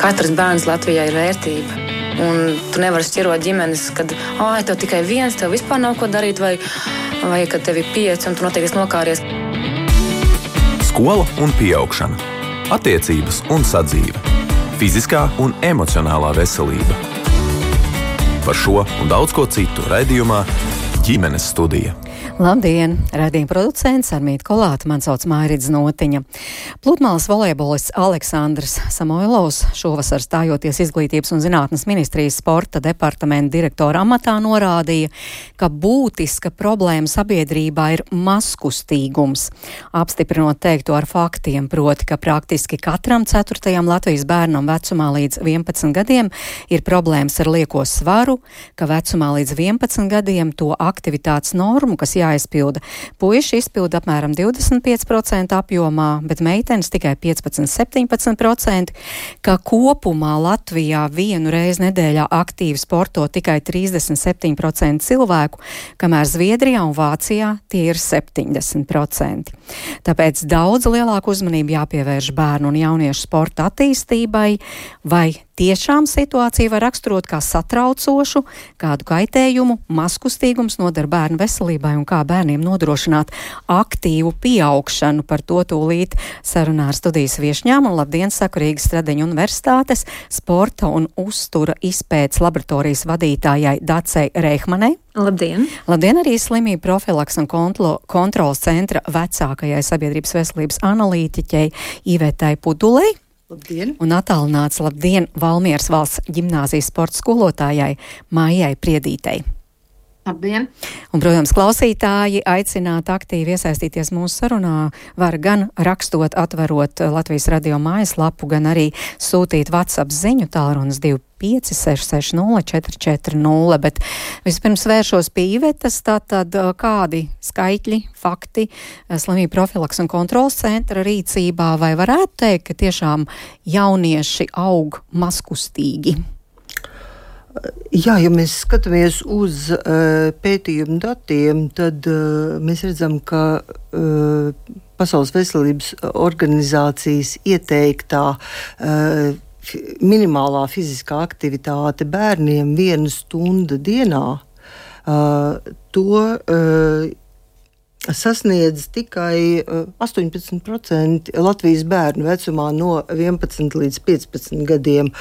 Katrs bērns Latvijā ir vērtība. Un tu nevari šķirot ģimenes, kad tev tikai viens, tev vispār nav ko darīt, vai kad tev ir 5 un tu noteikti nokāries. Skola un pieaugšana. Attiecības un sadzīve. Fiziskā un emocionālā veselība. Par šo un daudz ko citu raidījumā Ģimenes studija. Labdien! Raidījuma producents Armīta Kolāte, man sauc Mairidze Notiņa. Pludmales volejbolists Aleksandrs Samoilovs šovasar stājoties Izglītības un zinātnes ministrijas sporta departamenta direktora amatā norādīja, ka būtiska problēma sabiedrībā ir mazkustīgums. Apstiprinot teikto ar faktiem, proti, ka praktiski katram 4. Latvijas bērnam vecumā līdz 11 gadiem ir problēmas ar lieko svaru, ka vecumā līdz 11 gadiem to aktivitātes normu, kas jāizpilda. Puiši izpilda apmēram 25% apjomā, bet meitenes tikai 15–17%, ka kopumā Latvijā vienu reizi nedēļā aktīvi sporto tikai 37% cilvēku, kamēr Zviedrijā un Vācijā tie ir 70%. Tāpēc daudz lielāku uzmanību jāpievērš bērnu un jauniešu sporta attīstībai, vai tiešām situācija var raksturot kā satraucošu, kādu kaitējumu mazkustīgums nodara bērnu veselībai un kā bērniem nodrošināt aktīvu pieaugšanu. Par to tūlīt sarunā ar studijas viešņām un labdien saku Rīgas Stradiņu universitātes sporta un uztura izpētes laboratorijas vadītājai Dacei Reihmanei. Labdien! Labdien arī slimību profilaks un kontrolas centra vecākajai sabiedrības veselības analītiķei Ivetai Pudulei. Labdien! Un attālināts labdien Valmieras valsts ģimnāzijas sporta skolotājai Maijai Priedītei. Labdien! Un, protams, klausītāji aicināt aktīvi iesaistīties mūsu sarunā var gan rakstot, atverot Latvijas radio mājaslapu, gan arī sūtīt WhatsApp ziņu tālrunis 25660440, bet vispirms vēršos pie Ivetas, tātad kādi skaitļi, fakti slimību profilaks un kontrolas centra rīcībā, vai varētu teikt, ka tiešām jaunieši aug mazkustīgi? Jā, ja mēs skatāmies uz pētījumu datiem, tad mēs redzam, ka Pasaules veselības organizācijas ieteiktā minimālā fiziskā aktivitāte bērniem 1 stunda dienā, to sasniedz tikai 18% Latvijas bērnu vecumā no 11 līdz 15 gadiem.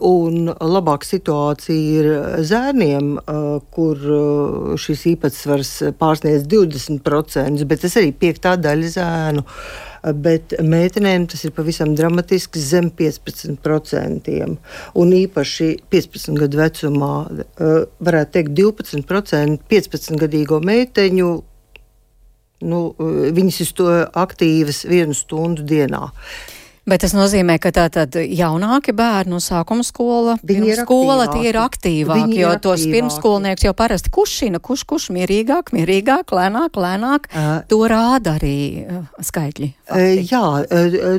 Un labāka situācija ir zērniem, kur šis īpatsvars pārsniedz 20%, bet tas arī 5. daļa zēnu. Bet meitenēm tas ir pavisam dramatiski zem 15%. Un īpaši 15 gadu vecumā, varētu teikt, 12% 15-gadīgo meiteņu, viņas ir to aktīvas 1 stundu dienā. Bet tas nozīmē, ka tātad jaunāki bērni, sākuma skola, pirmsskola, tie ir aktīvāki, jo tos pirmskolnieks jau parasti kušina, kurš mierīgāk, lēnāk, to rāda arī skaitļi. Fakti. Jā,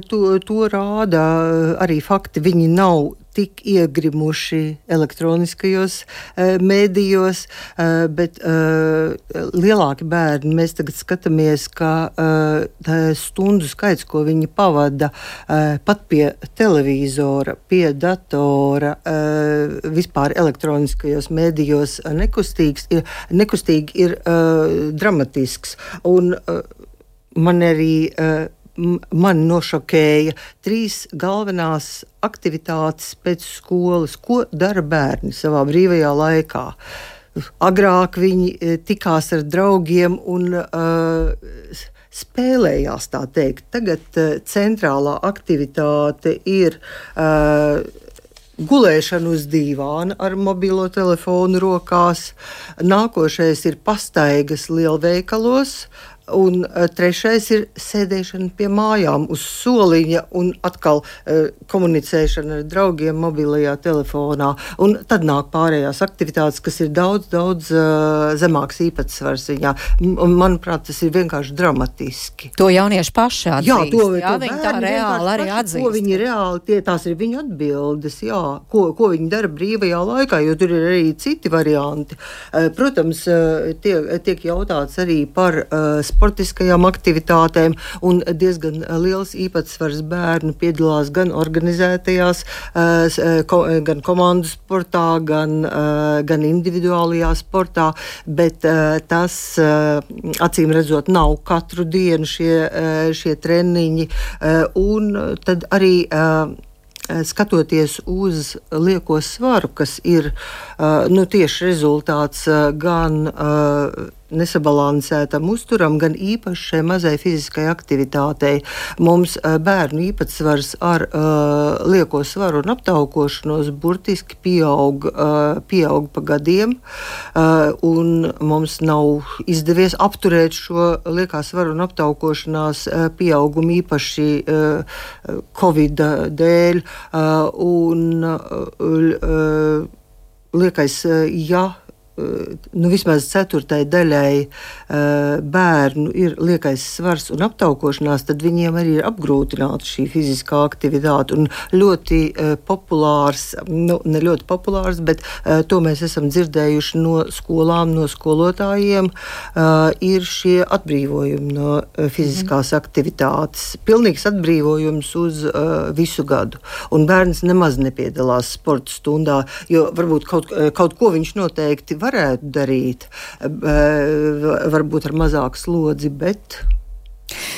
to rāda arī fakti, viņi nav tik iegrimuši elektroniskajos mēdījos, bet lielāki bērni, mēs tagad skatāmies, ka stundu skaits, ko viņi pavada pat pie televīzora, pie datora, vispār elektroniskajos mēdījos nekustīgi ir dramatisks. Un man nošokēja 3 galvenās aktivitātes pēc skolas, ko dara bērni savā brīvajā laikā. Agrāk viņi tikās ar draugiem un spēlējās, tā teikt. Tagad centrālā aktivitāte ir gulēšana uz dīvāna ar mobilo telefonu rokās. Nākošais ir pastaigas lielveikalos. Un 3. ir sēdēšana pie mājām uz soliņa un atkal komunicēšana ar draugiem mobilajā telefonā. Un tad nāk pārējās aktivitātes, kas ir daudz zemāks īpatsvars viņā. Manuprāt, tas ir vienkārši dramatiski. To jaunieši paši atzīst. Jā, viņi tā reāli arī atzīst. Ko viņi reāli, tās ir viņu atbildes, jā, ko viņi dara brīvajā laikā, jo tur ir arī citi varianti. Protams, tiek jautāts arī par sportiskajām aktivitātēm, un diezgan liels īpatsvars bērnu piedalās gan organizētajās, gan komandu sportā, gan individuālajā sportā, bet tas, acīm redzot, nav katru dienu šie treniņi, un tad arī skatoties uz lieko svaru, kas ir tieši rezultāts gan nesabalansētam uzturam, gan īpaši šai mazai fiziskai aktivitātei. Mums bērnu īpatsvars ar lieko svaru un aptaukošanos burtiski pieaug pa gadiem, un mums nav izdevies apturēt šo liekā svaru un aptaukošanās pieaugumu īpaši Covid dēļ, un liekais, vismaz 4. daļai bērnu ir liekais svars un aptaukošanās, tad viņiem arī ir apgrūtināta šī fiziskā aktivitāte. Un ļoti populārs, ne ļoti populārs, bet to mēs esam dzirdējuši no skolām, no skolotājiem, ir šie atbrīvojumi no fiziskās aktivitātes. Pilnīgs atbrīvojums uz visu gadu. Un bērns nemaz nepiedalās sporta stundā, jo varbūt kaut ko viņš noteikti varētu darīt, varbūt ar mazāku slodzi, bet...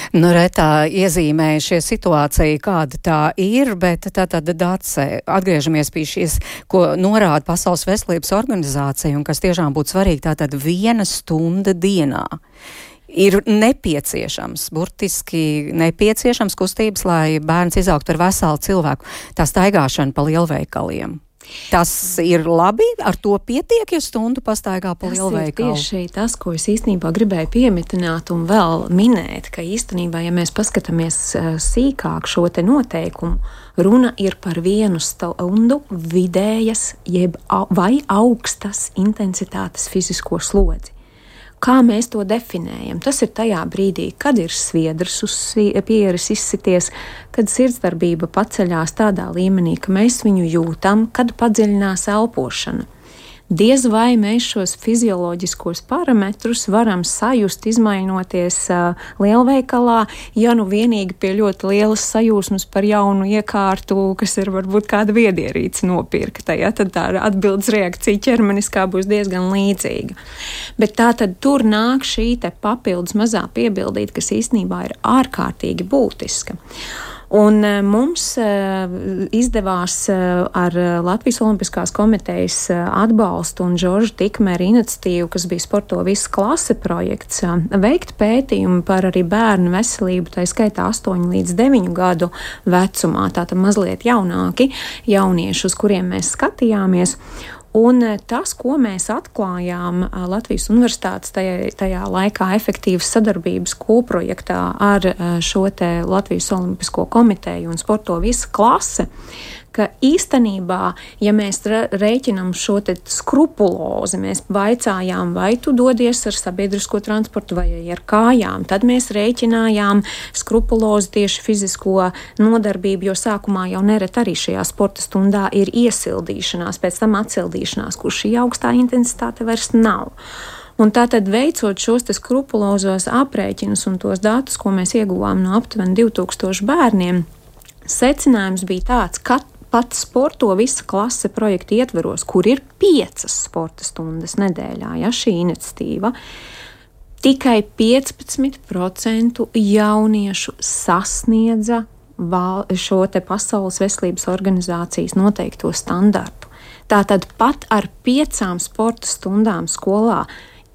Retā iezīmēja šie situācija, kāda tā ir, bet tātad Dace, atgriežamies pie šīs, ko norāda Pasaules veselības organizācija, un kas tiešām būtu svarīgi, tātad 1 stunda dienā. Ir nepieciešams, burtiski nepieciešams kustības, lai bērns izaugtu ar veselu cilvēku. Tā staigāšana pa lielveikaliem. Tas ir labi, ar to pietiek, ja stundu pastaigā pa lielveikalu. Tas ir tieši tas, ko es īstenībā gribēju piemitināt un vēl minēt, ka īstenībā, ja mēs paskatāmies sīkāk šo te noteikumu, runa ir par 1 stundu vidējas vai augstas intensitātes fizisko slodzi. Kā mēs to definējam? Tas ir tajā brīdī, kad ir sviedrs uz pieres izsities, kad sirdsdarbība paceļās tādā līmenī, ka mēs viņu jūtam, kad padziļinās elpošana. Diez vai mēs šos fizioloģiskos parametrus varam sajust, izmainoties lielveikalā, ja vienīgi pie ļoti lielas sajūsmas par jaunu iekārtu, kas ir varbūt kāda viedierīce nopirkta, ja, tad tā atbildes reakcija ķermeniskā būs diezgan līdzīga. Bet tā tad tur nāk šī te papildus mazā piebildīte, kas īstenībā ir ārkārtīgi būtiska. Un mums izdevās ar Latvijas Olimpiskās komitejas atbalstu un Žorža Tikmera iniciatīvu, kas bija Sporto visa klase projekts, veikt pētījumu par arī bērnu veselību, tā skaitā 8 līdz 9 gadu vecumā, tātad mazliet jaunāki jaunieši, uz kuriem mēs skatījāmies. Un tas, ko mēs atklājām Latvijas Universitātes tajā laikā efektīvas sadarbības kopprojektā ar šo te Latvijas Olimpisko komiteju un Sporto visa klase, ka īstenībā, ja mēs rēķinam šo te skrupulozi, mēs vaicājām, vai tu dodies ar sabiedrisko transportu vai ar kājām, tad mēs rēķinājām skrupulozi tieši fizisko nodarbību, jo sākumā jau neret arī šajā sporta stundā ir iesildīšanās, pēc tam atsildīšanās, kur šī augstā intensitāte vairs nav. Un tātad veicot šos te skrupulozos aprēķinus un tos datus, ko mēs ieguvām no aptuveni 2000 bērniem, secinājums bija tāds, ka pat Sporto visa klase projekta ietveros, kur ir 5 sporta stundas nedēļā, ja šī iniciatīva, tikai 15% jauniešu sasniedza šo te Pasaules veselības organizācijas noteikto standartu. Tātad pat ar 5 sporta stundām skolā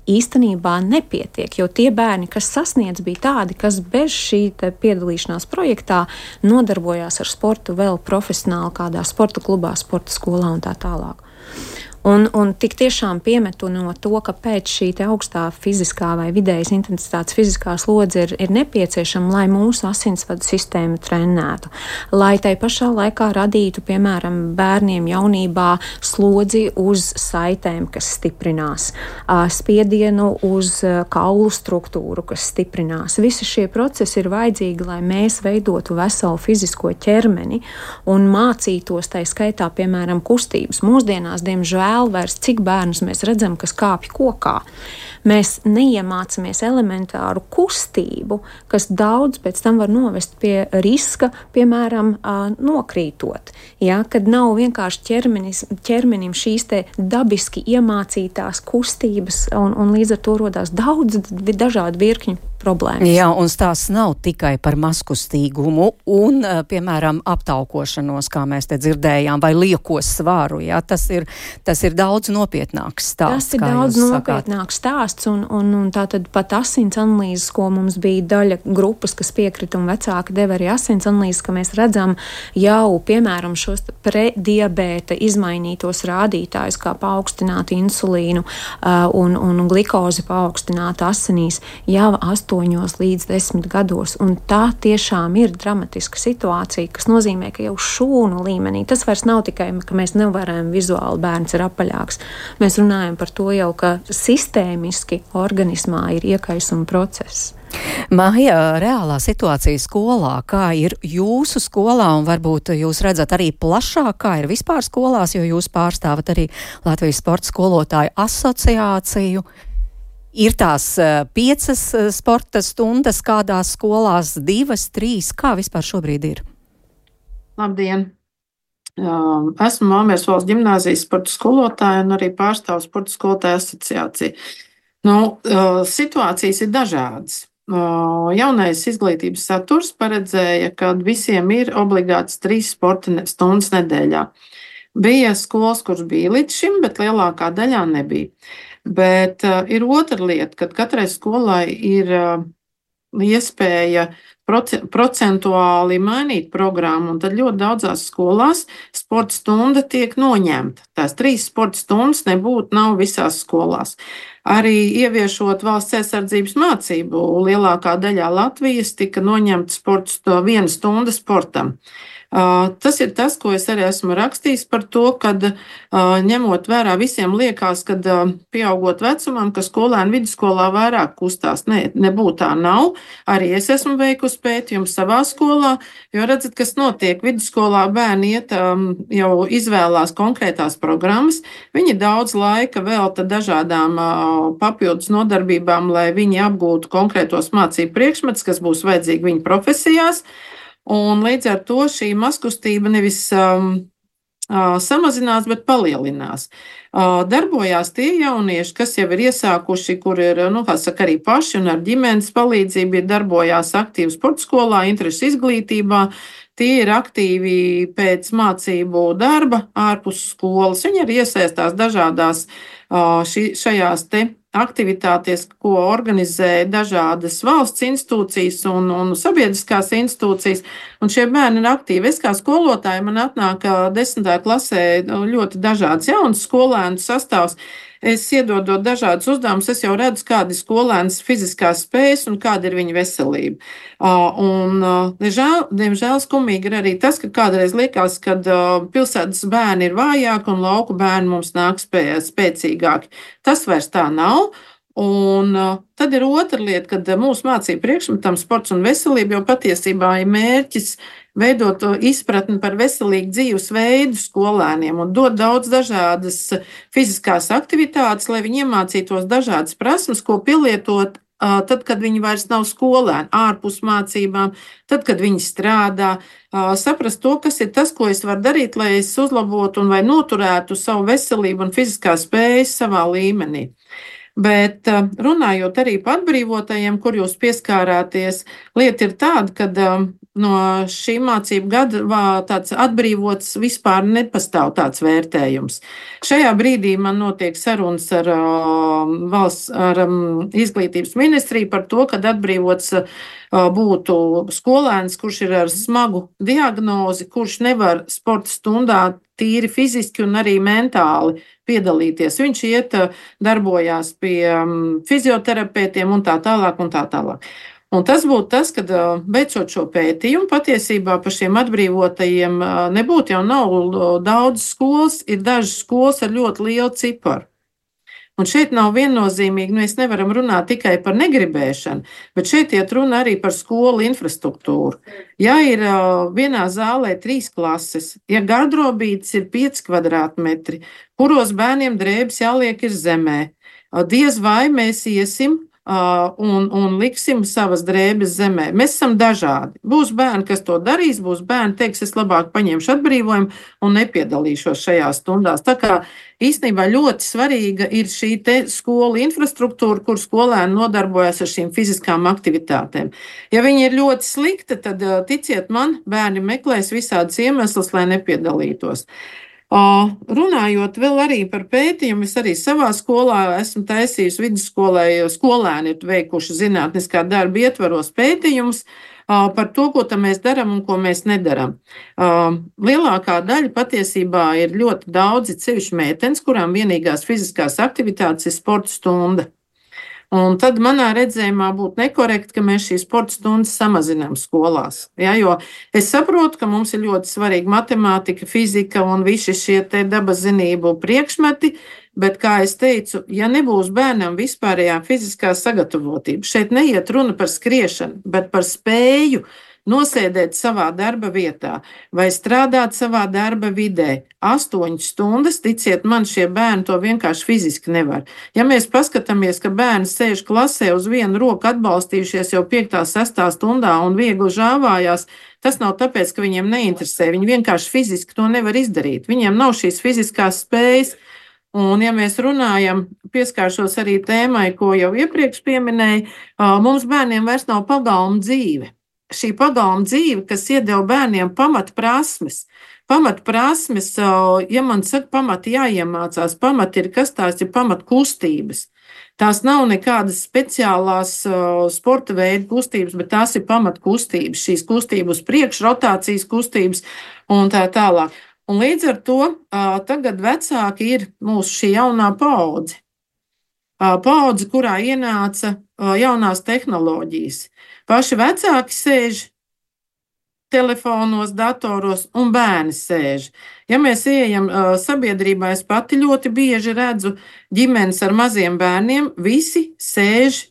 īstenībā nepietiek, jo tie bērni, kas sasniedz, bija tādi, kas bez šī piedalīšanās projektā nodarbojās ar sportu vēl profesionāli kādā sporta klubā, sporta skolā un tā tālāk. Un tik tiešām piemetunot to, ka pēc šī te augstā fiziskā vai vidējas intensitātes fiziskā slodze ir nepieciešama, lai mūsu asinsvadu sistēmu trenētu, lai tai pašā laikā radītu, piemēram, bērniem jaunībā slodzi uz saitēm, kas stiprinās, spiedienu uz kaulu struktūru, kas stiprinās. Visi šie procesi ir vajadzīgi, lai mēs veidotu veselu fizisko ķermeni un mācītos tai skaitā, piemēram, kustības. Mūsdienās, diemžēl, vairs cik bērnus mēs redzam, kas kāpj kokā. mēs neiemācamies elementāru kustību, kas daudz pēc tam var novest pie riska, piemēram, nokrītot. Ja, kad nav vienkārši ķermenim šīs te dabiski iemācītās kustības, un līdz ar to rodās daudz dažādu virkņu problēmas. Jā, un stāsts nav tikai par mazkustīgumu un, piemēram, aptaukošanos, kā mēs te dzirdējām, vai lieko svaru. Jā, tas ir daudz nopietnāks stāsts. Tas ir daudz nopietnāks stāsts, un tā tad pat asins analīzes, ko mums bija daļa grupas, kas piekrita un vecāki deva arī asins analīzes, ka mēs redzam jau, piemēram, šos prediabēta izmainītos rādītājus, kā paaugstinātu insulīnu un glikozi paaugstinātu asinīs jau 8 līdz 10 gados, un tā tiešām ir dramatiska situācija, kas nozīmē, ka jau šūnu līmenī, tas vairs nav tikai, ka mēs nevaram vizuāli bērns ir apaļāks. Mēs runājam par to jau, ka sistēmiski organismā ir iekaisuma process. Māja, reālā situācija skolā, kā ir jūsu skolā, un varbūt jūs redzat arī plašāk, kā ir vispār skolās, jo jūs pārstāvat arī Latvijas sporta skolotāju asociāciju. Ir tās 5 sporta stundas kādās skolās, 2, 3, kā vispār šobrīd ir? Labdien! Esmu Māmieras valsts ģimnāzijas sporta skolotāja un arī pārstāvu sporta skolotāju asociāciju. Situācijas ir dažādas. Jaunais izglītības saturs paredzēja, ka visiem ir obligāts 3 sporta stundas nedēļā. Bija skolas, kuras bija līdz šim, bet lielākā daļā nebija. Bet ir otra lieta, kad katrai skolai ir iespēja procentuāli mainīt programmu, un tad ļoti daudzās skolās sporta stunda tiek noņemta. Tās 3 sporta stundas nav visās skolās. Arī ieviešot valsts aizsardzības mācību, lielākā daļā Latvijas tika noņemta 1 stunda sportam. Tas ir tas, ko es arī esmu rakstījis par to, kad ņemot vērā visiem liekas, kad pieaugot vecumam, ka skolēni vidusskolā vairāk kustās. Nebūtu tā nav. Arī es esmu veikusi pētījumu savā skolā, jo redzat, kas notiek. Vidusskolā bērni jau izvēlās konkrētās programmas. Viņi daudz laika velta dažādām papildus nodarbībām, lai viņi apgūtu konkrētos mācību priekšmetus, kas būs vajadzīgi viņu profesijās. Un līdz ar to šī mazkustība nevis samazinās, bet palielinās. Darbojās tie jaunieši, kas jau ir iesākuši, kur ir, arī paši un ar ģimenes palīdzību ir darbojās aktīvi sporta skolā, interešu izglītībā. Tie ir aktīvi pēc mācību darba ārpus skolas. Viņi arī iesaistās dažādās šajās te aktivitātes, ko organizē dažādas valsts institūcijas un sabiedriskās institūcijas, un šie bērni ir aktīvi. Es kā skolotāja, man atnāk 10. klasē ļoti dažāds jauns skolēnu sastāvs. Es iedodot dažādus uzdevumus, es jau redzu, kāda ir skolēnas fiziskās spējas un kāda ir viņa veselība. Diemžēl skumīgi ir arī tas, ka kādreiz liekas, ka pilsētas bērni ir vājāki un lauku bērni mums nāk spēcīgāki. Tas vairs tā nav. Un tad ir otra lieta, kad mūsu mācību priekšmetam sports un veselība jau patiesībā ir mērķis veidot izpratni par veselīgu dzīvesveidu skolēniem un dot daudz dažādas fiziskās aktivitātes, lai viņi iemācītos dažādas prasmes, ko pielietot tad, kad viņi vairs nav skolēni, ārpus mācībām, tad, kad viņi strādā, saprast to, kas ir tas, ko es varu darīt, lai es uzlabotu un vai noturētu savu veselību un fiziskās spējas savā līmenī. Bet runājot arī par atbrīvotajiem, kur jūs pieskārāties, lieta ir tāda, ka no šī mācību gada tāds atbrīvots vispār nepastāv tāds vērtējums. Šajā brīdī man notiek sarunas ar izglītības ministriju par to, kad atbrīvots būtu skolēns, kurš ir ar smagu diagnozi, kurš nevar sporta stundā tīri fiziski un arī mentāli piedalīties. Viņš darbojās pie fizioterapeitiem un tā tālāk un tā tālāk. Un tas būtu tas, kad beidzot šo pētījumu patiesībā par šiem atbrīvotajiem nebūtu jau nav daudz skolas, ir dažas skolas ar ļoti lielu ciparu. Un šeit nav viennozīmīgi, mēs nevaram runāt tikai par negribēšanu, bet šeit iet runa arī par skolu infrastruktūru. Ja ir vienā zālē 3 klases, ja gardrobītes ir 5 kvadrātmetri, kuros bērniem drēbes jāliek ir zemē, diez vai mēs iesim un liksim savas drēbes zemē. Mēs esam dažādi. Būs bērni, kas to darīs, būs bērni, teiks, es labāk paņemšu atbrīvojumu un nepiedalīšos šajās stundās. Tā kā īstenībā ļoti svarīga ir šī te skolu infrastruktūra, kur skolēni nodarbojas ar šīm fiziskām aktivitātēm. Ja viņi ir ļoti slikti, tad ticiet man, bērni meklēs visādus iemeslus, lai nepiedalītos. Runājot vēl arī par pētījumu, es arī savā skolā esmu taisījusi vidusskolai, skolēni ir veikuši zinātniskā darba ietvaros pētījumus par to, ko mēs darām un ko mēs nedaram. Lielākā daļa patiesībā ir ļoti daudzi cevišķi meitenes, kurām vienīgās fiziskās aktivitātes ir sporta stunda. Un tad manā redzējumā būtu nekorekti, ka mēs šīs sporta stundas samazinām skolās. Ja, jo es saprotu, ka mums ir ļoti svarīga matemātika, fizika un visi šie te dabas zinību priekšmeti, bet, kā es teicu, ja nebūs bērnam vispārējā fiziskā sagatavotība, šeit neiet runa par skriešanu, bet par spēju nosēdēt savā darba vietā vai strādāt savā darba vidē. 8 stundas, ticiet man, šie bērni to vienkārši fiziski nevar. Ja mēs paskatāmies, ka bērni sēž klasē uz vienu roku atbalstījušies jau 5. 6. stundā un viegli žāvājās, tas nav tāpēc, ka viņiem neinteresē. Viņi vienkārši fiziski to nevar izdarīt. Viņiem nav šīs fiziskās spējas. Un, ja mēs runājam, pieskāršos arī tēmai, ko jau iepriekš pieminēju, mums bērniem vairs nav pagalma dzīve. Šī pagalma dzīve, kas iedeva bērniem pamatprasmes, ja man saka, pamati jāiemācās, pamati ir kas tās ir pamatkustības. Tās nav nekādas speciālās sporta veidu kustības, bet tās ir pamatkustības, šīs kustības priekš, rotācijas kustības un tā tālāk. Un līdz ar to tagad vecāki ir mūsu šī jaunā paudze. Paudze, kurā ienāca jaunās tehnoloģijas. Paši vecāki sēž telefonos, datoros un bērni sēž. Ja mēs ejam sabiedrībā, es pati ļoti bieži redzu ģimenes ar maziem bērniem, visi sēž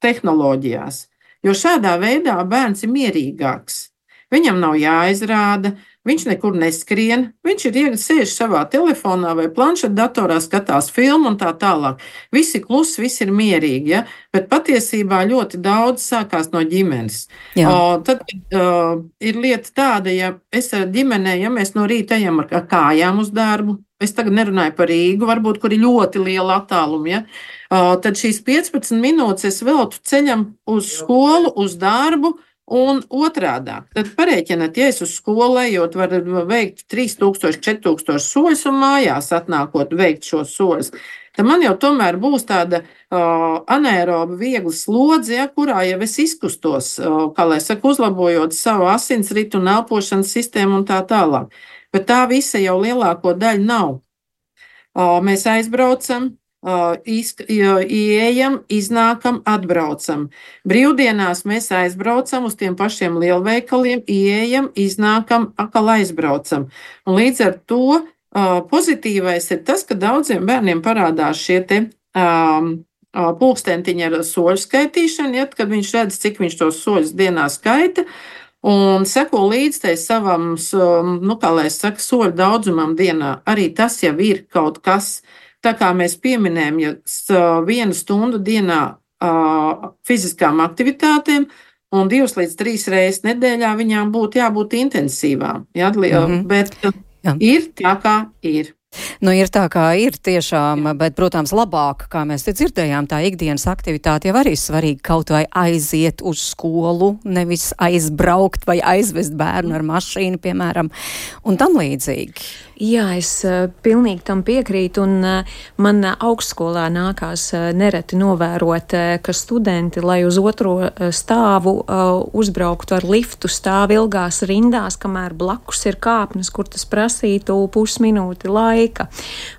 tehnoloģijās. Jo šādā veidā bērns ir mierīgāks. Viņam nav jāizrāda, viņš nekur neskrien, viņš ir sēž savā telefonā vai planšetdatorā, skatās filmu un tā tālāk. Visi klusi, visi ir mierīgi, ja? Bet patiesībā ļoti daudz sākās no ģimenes. Tad ir lieta tāda, ja es ar ģimenē, ja mēs no rīta ejam ar kājām uz darbu, es tagad nerunāju par Rīgu, varbūt, kur ir ļoti liela attāluma, ja? Tad šīs 15 minūtes es veltu ceļam uz skolu, uz darbu, un otrādāk, tad parēķināt, ja es uz skolu ejot, var veikt 3000, 4000 soļus un mājās atnākot veikt šos soļus. Tad man jau tomēr būs tāda anaeroba viegla slodze, ja, kurā jau es izkustos, kā lai saka, uzlabojot savu asinsritu un elpošanas sistēmu un tā tālāk. Bet tā visa jau lielāko daļu nav. Mēs aizbraucam, ieejam, iznākam, atbraucam. Brīvdienās mēs aizbraucam uz tiem pašiem lielveikaliem, ieejam, iznākam, atkal aizbraucam. Un līdz ar to pozitīvais ir tas, ka daudziem bērniem parādās šie te pulkstentiņi ar soļu skaitīšanu, ja, kad viņš redz, cik viņš tos soļus dienā skaita, un seko līdz tai savam, kā lai saka, soļu daudzumam dienā. Arī tas jau ir kaut kas. Tā kā mēs pieminējam, ja 1 stundu dienā fiziskām aktivitātēm un 2 līdz 3 reizes nedēļā viņām būtu jābūt intensīvām. Ja? Bet ir tā, kā ir. Nu, ir tā, kā ir tiešām, bet, protams, labāk, kā mēs te dzirdējām, tā ikdienas aktivitāte jau arī svarīgi kaut vai aiziet uz skolu, nevis aizbraukt vai aizvest bērnu ar mašīnu, piemēram, un tam līdzīgi. Jā, es pilnīgi tam piekrītu, un man augstskolā nākās nereti novērot, ka studenti, lai uz 2. stāvu uzbrauktu ar liftu, stāv ilgās rindās, kamēr blakus ir kāpnes, kur tas prasītu pusminūti laika.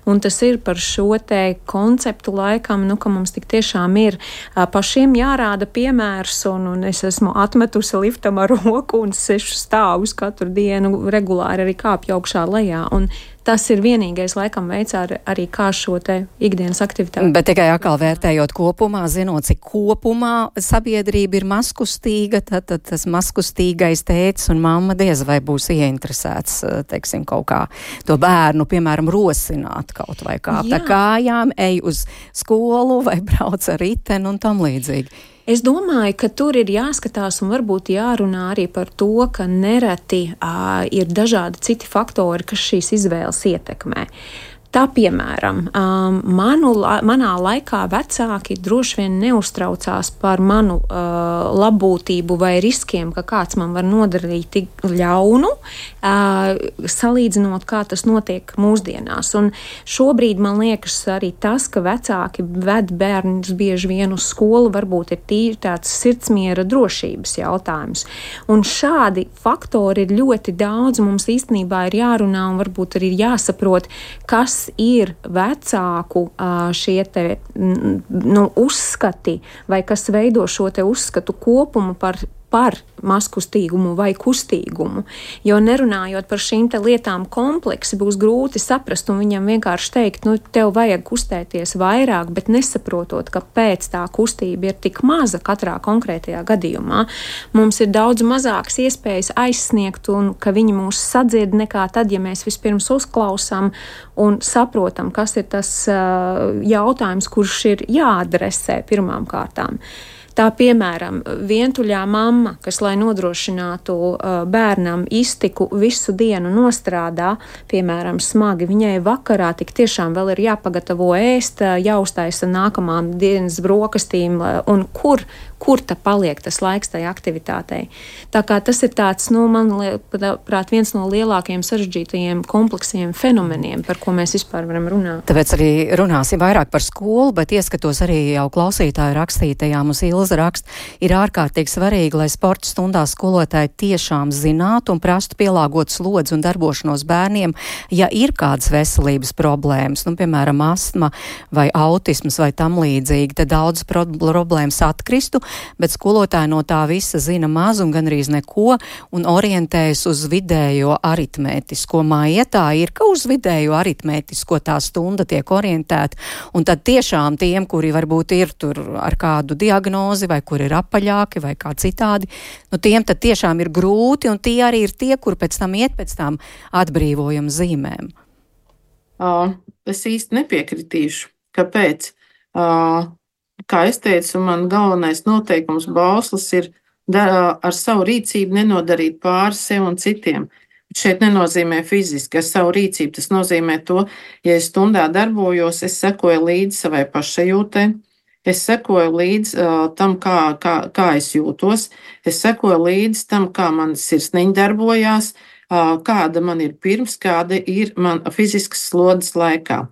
Un tas ir par šo te konceptu laikam, ka mums tik tiešām ir pašiem jārāda piemērs, un es esmu atmetusi liftam ar roku un 6 stāvus katru dienu regulāri arī kāpju augšā lejā. Un tas ir vienīgais, laikam, veids arī kā šo te ikdienas aktivitāti. Bet tikai atkal vērtējot kopumā, zinot, cik kopumā sabiedrība ir mazkustīga, tad tas mazkustīgais tētis un mamma diez vai būs ieinteresēts, teiksim, kaut kā to bērnu, piemēram, rosināt kaut vai kāpt ar kājām, ej uz skolu vai brauc ar riteni un tam līdzīgi. Es domāju, ka tur ir jāskatās un varbūt jārunā arī par to, ka nereti ir dažādi citi faktori, kas šīs izvēles ietekmē. Tā, piemēram, manā laikā vecāki droši vien neuztraucās par manu labbūtību vai riskiem, ka kāds man var nodarīt tik ļaunu, salīdzinot, kā tas notiek mūsdienās. Un šobrīd man liekas arī tas, ka vecāki ved bērnus bieži vien uz skolu, varbūt ir tīri tāds sirdsmiera drošības jautājums. Un šādi faktori ir ļoti daudz, mums īstenībā ir jārunā un varbūt arī jāsaprot, kas ir vecāku šie te uzskati vai kas veido šo te uzskatu kopumu par mazkustīgumu vai kustīgumu, jo nerunājot par šīm te lietām kompleksi, būs grūti saprast un viņam vienkārši teikt, tev vajag kustēties vairāk, bet nesaprotot, kāpēc tā kustība ir tik maza katrā konkrētajā gadījumā. Mums ir daudz mazākas iespējas aizsniegt un ka viņi mūs sadzird nekā tad, ja mēs vispirms uzklausām un saprotam, kas ir tas jautājums, kurš ir jāadresē pirmām kārtām. Tā, piemēram, vientuļā mamma, kas, lai nodrošinātu bērnam iztiku visu dienu nostrādā, piemēram, smagi, viņai vakarā tik tiešām vēl ir jāpagatavo ēst, jāuztaisa nākamām dienas brokastīm, un kur ta paliek tas laiks tai aktivitātei. Tā kā tas ir tāds, manuprāt, viens no lielākajiem sarežģītajiem kompleksiem fenomeniem, par ko mēs vispār varam runāt. Tāpēc arī runāsim vairāk par skolu, bet ieskatos arī jau klausītāju rakstītajām uz Ilza rakst, ir ārkārtīgi svarīgi, lai sporta stundās skolotāji tiešām zinātu un prastu pielāgot slodzi un darbošanos bērniem, ja ir kādas veselības problēmas, piemēram, astma vai autisms vai tam līdzīgi, tad daudz problēmas atkristu, bet skolotāji no tā visa zina maz un gandrīz neko un orientējas uz vidējo aritmētisko. Māja tā ir, ka uz vidējo aritmētisko tā stunda tiek orientēta, un tad tiešām tiem, kuri varbūt ir tur ar kādu diagnozi vai kur ir apaļāki vai kā citādi, tiem tad tiešām ir grūti, un tie arī ir tie, kur pēc tam iet pēc tām atbrīvojuma zīmēm. Es īsti nepiekritīšu. Kāpēc? Kā es teicu, man galvenais noteikums bauslis ir ar savu rīcību nenodarīt pāri sev un citiem. Šeit nenozīmē fiziski, ar savu rīcību. Tas nozīmē to, ja es stundā darbojos, es sekoju līdzi savai pašsajūtai, es sekoju līdzi tam, kā es jūtos, es sekoju līdzi tam, kā man sirsniņa darbojās, kāda man ir pirms, kāda ir man fiziskas slodzes laikā.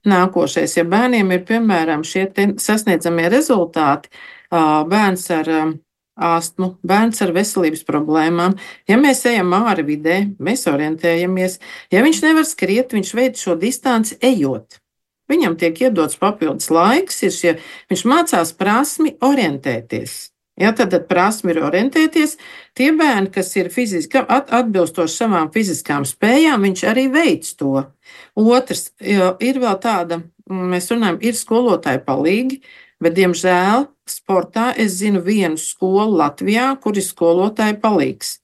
Nākošais, ja bērniem ir, piemēram, šie sasniedzamie rezultāti, bērns ar astmu, bērns ar veselības problēmām, ja mēs ejam āri vidē, mēs orientējamies, ja viņš nevar skriet, viņš veic šo distanci ejot. Viņam tiek iedots papildus laiks, viņš mācās prasmi orientēties. Ja, tad prasmi ir orientēties. Tie bērni, kas ir fiziski atbilstoši savām fiziskām spējām, viņš arī veic to. Otrs, ir vēl tāda, mēs runājam, ir skolotāji palīgi, bet, diemžēl, sportā es zinu vienu skolu Latvijā, kur ir skolotāji palīgs.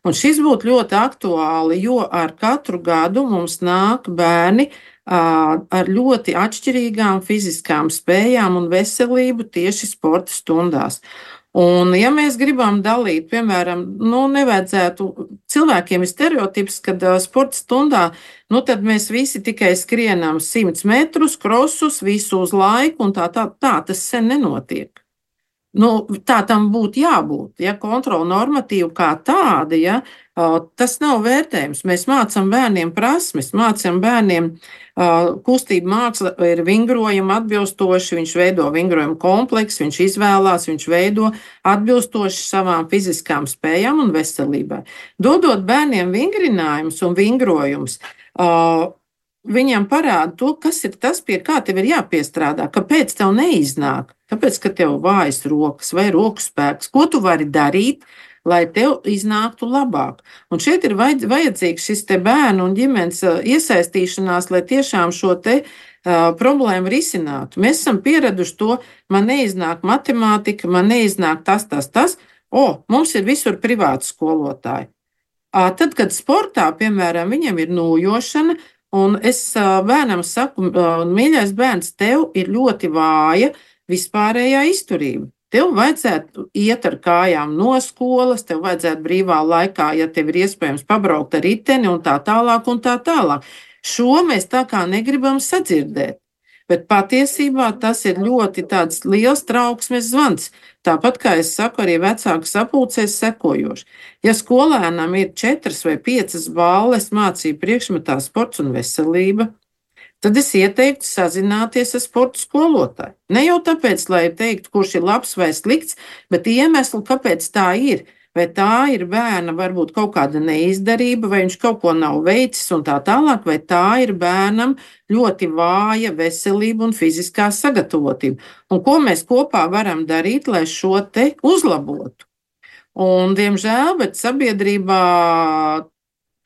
Un šis būtu ļoti aktuāli, jo ar katru gadu mums nāk bērni ar ļoti atšķirīgām fiziskām spējām un veselību tieši sporta stundās. Un, ja mēs gribam dalīt, piemēram, nevajadzētu, cilvēkiem ir stereotips, kad sporta stundā, tad mēs visi tikai skrienam 100 metrus, krosus, visu uz laiku, un tā tas sen nenotiek. Tā tam būtu jābūt, ja kontrola normatīva kā tāda, ja, tas nav vērtējums. Mēs mācām bērniem prasmes, mācām bērniem kustību māksla ir vingrojuma atbilstoši, viņš veido vingrojuma kompleksu, viņš izvēlās, viņš veido atbilstoši savām fiziskām spējām un veselībai. Dodot bērniem vingrinājumus un vingrojumus, viņam parāda to, kas ir tas, pie kā tev ir jāpiestrādā, kāpēc tev neiznāk, kāpēc, ka tev vājas rokas vai roku spēks, ko tu vari darīt, lai tev iznāktu labāk. Un šeit ir vajadzīgs šis te bērnu un ģimenes iesaistīšanās, lai tiešām šo te problēmu risinātu. Mēs esam pieraduši to, man neiznāk matemātika, man neiznāk tas. Mums ir visur privāti skolotāji. Tad, kad sportā, piemēram, viņam ir nūjošana, un es bērnam saku, mīļais bērns, tev ir ļoti vāja vispārējā izturība. Tev vajadzētu iet ar kājām no skolas, tev vajadzētu brīvā laikā, ja tev ir iespējams pabraukt ar riteni un tā tālāk un tā tālāk. Šo mēs tā kā negribam sadzirdēt, bet patiesībā tas ir ļoti tāds liels trauksmes zvans. Tāpat, kā es saku, arī vecāku sapulcēs sekojoši. Ja skolēnam ir 4 vai 5 balles mācību priekšmetā sports un veselība, tad es ieteiktu sazināties ar sporta skolotāju. Ne jau tāpēc, lai teiktu, kurš ir labs vai slikts, bet iemeslu, kāpēc tā ir. Vai tā ir bērna varbūt kaut kāda neizdarība, vai viņš kaut ko nav veicis un tā tālāk, vai tā ir bērnam ļoti vāja veselība un fiziskā sagatavotība. Un ko mēs kopā varam darīt, lai šo te uzlabotu? Un, diemžēl, bet sabiedrībā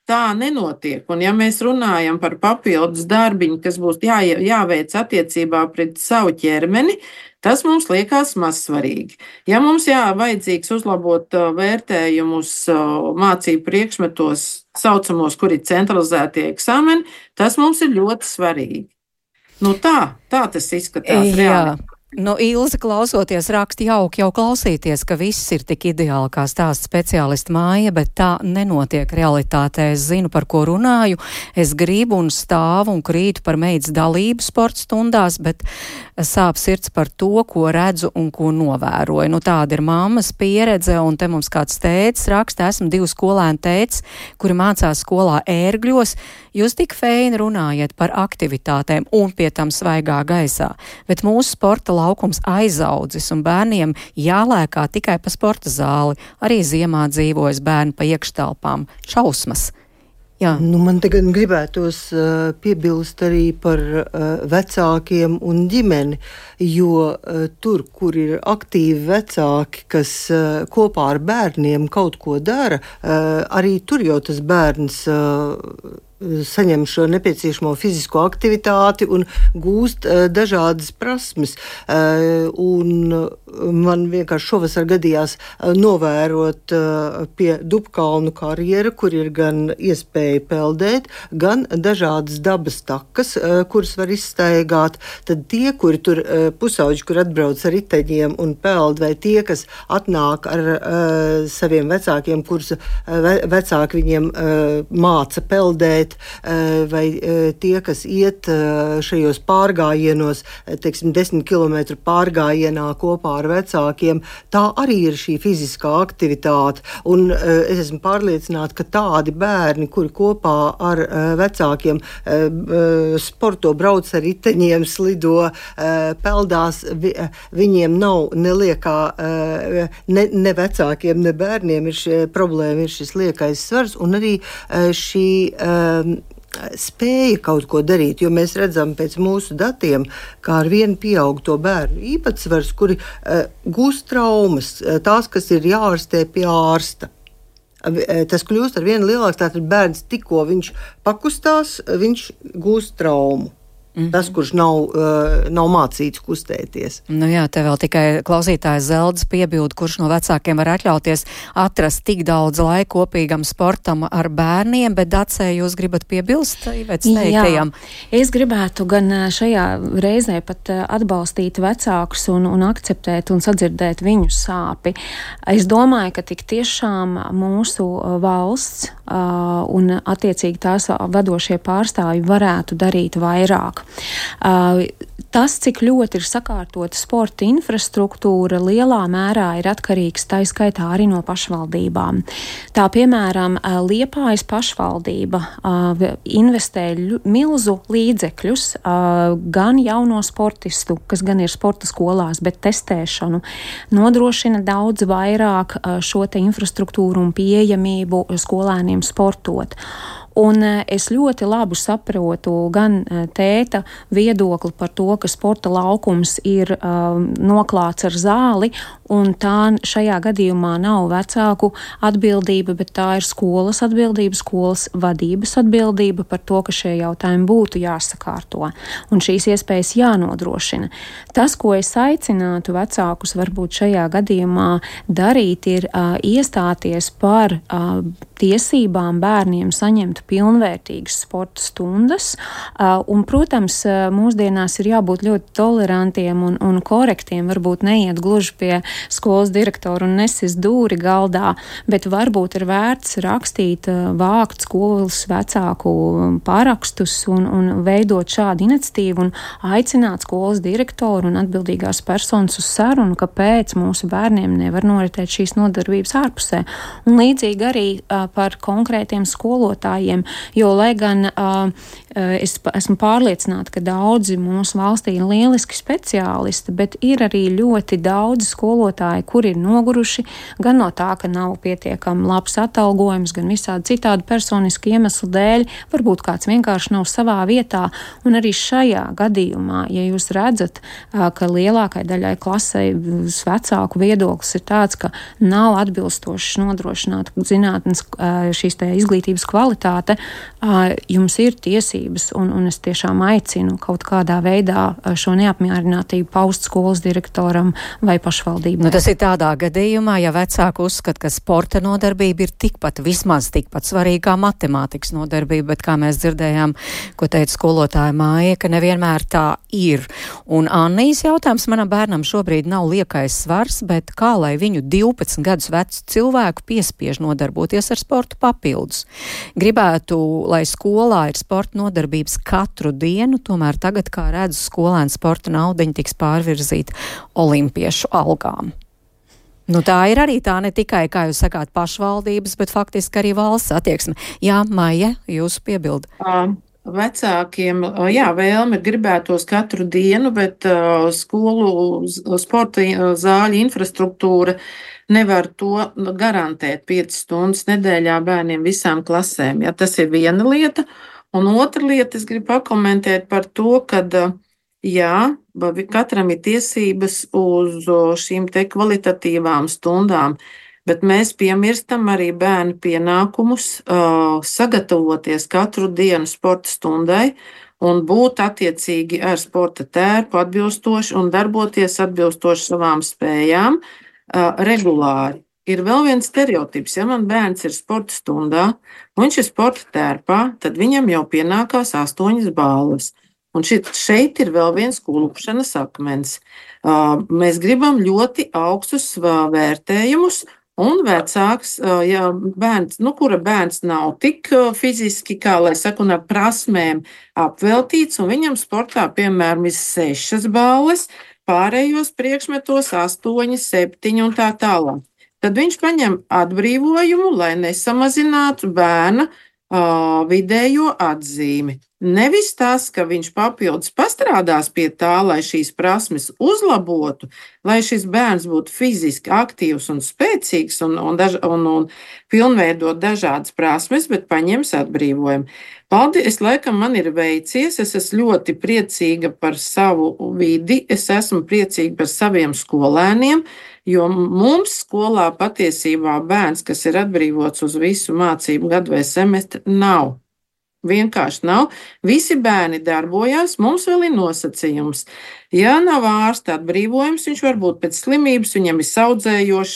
tā nenotiek. Un ja mēs runājam par papildus darbiņu, kas būs jāveic attiecībā pret savu ķermeni, tas mums liekas mazsvarīgi. Ja mums vajadzīgs uzlabot vērtējumus mācību priekšmetos saucamos, kur ir centralizētie eksāmeni, tas mums ir ļoti svarīgi. Tā tas izskatās reāli. Ilze, klausoties, raksta jauki jau klausīties, ka viss ir tik ideāli, kā stāsta speciālisti māja, bet tā nenotiek realitātē. Es zinu, par ko runāju. Es gribu un stāvu un krītu par meitas dalību sporta stundās, bet sāp sirds par to, ko redzu un ko novēroju. Tāda ir mammas pieredze, un te mums kāds tētis raksta, esmu 2 skolēnu tētis, kuri mācās skolā Ērgļos. Jūs tik feini runājat par aktivitātēm un pie tam svaigā gaisā, bet mūsu sporta laukums aizaudzis un bērniem jālēkā tikai pa sporta zāli. Arī ziemā dzīvojas bērni pa iekštelpām. Šausmas. Jā. Man tagad gribētos piebilst arī par vecākiem un ģimeni, jo tur, kur ir aktīvi vecāki, kas kopā ar bērniem kaut ko dara, arī tur jau tas bērns saņem šo nepieciešamo fizisko aktivitāti un gūst dažādas prasmes. Un man vienkārši šovasar gadījās novērot pie Dubkalnu karjera, kur ir gan iespēja peldēt, gan dažādas dabas takas, kuras var izstaigāt. Tad tie, kuri tur pusauģi, kur atbrauc ar riteņiem un peld, vai tie, kas atnāk ar saviem vecākiem, kurus vecāki viņiem māca peldēt, vai tie, kas iet šajos pārgājienos, 10 km pārgājienā kopā ar vecākiem, tā arī ir šī fiziskā aktivitāte. Un es esmu pārliecināta, ka tādi bērni, kuri kopā ar vecākiem sporto, brauc ar riteņiem, slido, peldās, viņiem nav neliekā, ne vecākiem, ne bērniem ir problēma, ir šis liekais svars un arī šī spēja kaut ko darīt, jo mēs redzam pēc mūsu datiem, kā ar vienu pieaug to bērnu īpatsvars, kuri gūst traumas, tās, kas ir jāārstē pie ārsta. Tas kļūst ar vienu lielāks, tātad bērns tikko viņš pakustās, viņš gūst traumu. Tas, kurš nav mācīts kustēties. Jā, te vēl tikai klausītājs Zeldes piebilda, kurš no vecākiem var atļauties atrast tik daudz laika kopīgam sportam ar bērniem, bet Dacē, jūs gribat piebilst Ivetas teiktajam? Jā, es gribētu gan šajā reizē pat atbalstīt vecākus un akceptēt un sadzirdēt viņu sāpi. Es domāju, ka tik tiešām mūsu valsts un attiecīgi tās vadošie pārstāvji varētu darīt vairāk. Tas, cik ļoti ir sakārtota sporta infrastruktūra, lielā mērā ir atkarīgs tā skaitā arī no pašvaldībām. Tā, piemēram, Liepājas pašvaldība investē milzu līdzekļus gan jauno sportistu, kas gan ir sporta skolās, bet testēšanu, nodrošina daudz vairāk šo te infrastruktūru un pieejamību skolēniem sportot. Un es ļoti labi saprotu gan tēta viedokli par to, ka sporta laukums ir noklāts ar zāli, un tā šajā gadījumā nav vecāku atbildība, bet tā ir skolas atbildība, skolas vadības atbildība par to, ka šie jautājumi būtu jāsakārto, un šīs iespējas jānodrošina. Tas, ko es aicinātu vecākus varbūt šajā gadījumā darīt, ir iestāties par tiesībām bērniem saņemt pilnvērtīgas sporta stundas, un, protams, mūsdienās ir jābūt ļoti tolerantiem un korektiem, varbūt neiet gluži pie skolas direktora un nesis dūri galdā, bet varbūt ir vērts rakstīt, vākt skolas vecāku parakstus un veidot šādu iniciatīvu un aicināt skolas direktoru un atbildīgās personas uz sarunu, kāpēc mūsu bērniem nevar noritēt šīs nodarbības ārpusē. Un līdzīgi arī par konkrētiem skolotājiem, jo, lai gan es esmu pārliecināta, ka daudzi mūsu valstī ir lieliski speciālisti, bet ir arī ļoti daudzi skolotāji, kuri ir noguruši gan no tā, ka nav pietiekami labs atalgojums, gan visādi citādi personiski iemeslu dēļ, varbūt kāds vienkārši nav savā vietā, un arī šajā gadījumā, ja jūs redzat, ka lielākai daļai klasei vecāku viedoklis ir tāds, ka nav atbilstoši nodrošināt zinātnes šīs te izglītības kvalitāte, jums ir tiesības, un es tiešām aicinu kaut kādā veidā šo neapmierinātību paust skolas direktoram vai pašvaldībai. Tas ir tādā gadījumā, ja vecāki uzskata, ka sporta nodarbība ir vismaz tikpat svarīga kā matemātikas nodarbība, bet kā mēs dzirdējām, ko teica skolotāja Māja, ka nevienmēr tā ir. Un Annijas jautājums manam bērnam šobrīd nav liekais svars, bet kā lai viņu 12 gadus vecu cilvēku piespiež nodarboties ar sportu papildus. Gribētu, lai skolā ir sporta nodarbības katru dienu, tomēr tagad, kā redzu, skolēnu sporta naudiņa tiks pārvirzīta olimpiešu algām. Tā ir arī tā ne tikai, kā jūs sakāt, pašvaldības, bet faktiski arī valsts attieksme. Jā, Maija, jūsu piebildi. Vecākiem, vēlme gribētos katru dienu, bet skolu sporta zāļu infrastruktūra nevar to garantēt 5 stundas nedēļā bērniem visām klasēm. Ja, tas ir viena lieta. Un otra lieta, es gribu pakomentēt par to, ka katram ir tiesības uz šīm te kvalitatīvām stundām, bet mēs piemirstam arī bērnu pienākumus sagatavoties katru dienu sporta stundai un būt attiecīgi ar sporta tērpu atbilstoši un darboties atbilstoši savām spējām regulāri. Ir vēl viens stereotips, ja man bērns ir sporta stundā, un viņš ir sporta tērpā, tad viņam jau pienākās 8 balvas. Un šeit ir vēl viens klupšanas akmens. Mēs gribam ļoti augstus vērtējumus, un vecāks, ja bērns, kura bērns nav tik fiziski, kā lai saka, un ar prasmēm apveltīts, un viņam sportā, piemēram, ir 6 balvas, pārējos priekšmetos 8, 7 un tā tālāk. Tad viņš paņem atbrīvojumu, lai nesamazinātu bērna vidējo atzīmi. Nevis tas, ka viņš papildus pastrādās pie tā, lai šīs prasmes uzlabotu, lai šis bērns būtu fiziski aktīvs un spēcīgs un pilnveidot dažādas prasmes, bet paņems atbrīvojumu. Paldies, laikam man ir veicies, es esmu ļoti priecīga par savu vidi, es esmu priecīga par saviem skolēniem, jo mums skolā patiesībā bērns, kas ir atbrīvots uz visu mācību gadu vai semestri, nav. Vienkārši nav. Visi bērni darbojās, mums vēl ir nosacījums. Ja nav ārsta atbrīvojums, viņš var būt pēc slimības, viņam ir saudzējošs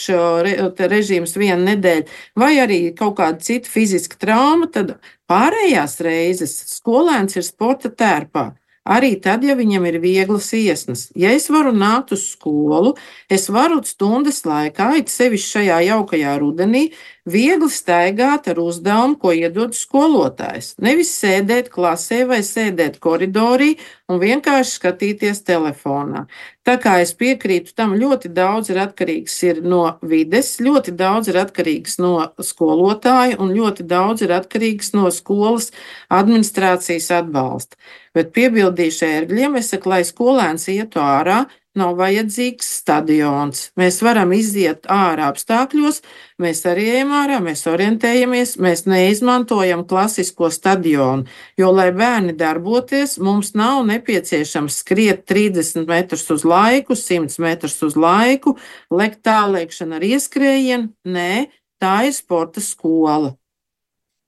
režīms 1 nedēļa, vai arī kaut kāda cita fiziska trauma, tad pārējās reizes skolēns ir sporta tērpā. Arī tad, ja viņam ir vieglas iesnas. Ja es varu nākt uz skolu, es varu stundas laikā, it sevišķi šajā jaukajā rudenī, viegli staigāt ar uzdevumu, ko iedod skolotājs. Nevis sēdēt klasē vai sēdēt koridorī un vienkārši skatīties telefonā. Tā kā es piekrītu tam, ļoti daudz ir atkarīgs no vides, ļoti daudz ir atkarīgs no skolotāja un ļoti daudz ir atkarīgs no skolas administrācijas atbalsta. Bet piebildīšu ērgļiem, es saku, lai skolēns ietu ārā, nav vajadzīgs stadions. Mēs varam iziet ārā apstākļos, mēs arī ejam ārā, mēs orientējamies, mēs neizmantojam klasisko stadionu, jo, lai bērni darboties, mums nav nepieciešams skriet 30 metrus uz laiku, 100 metrus uz laiku, lekt tālēkšana ar ieskrējienu. Nē, tā ir sporta skola.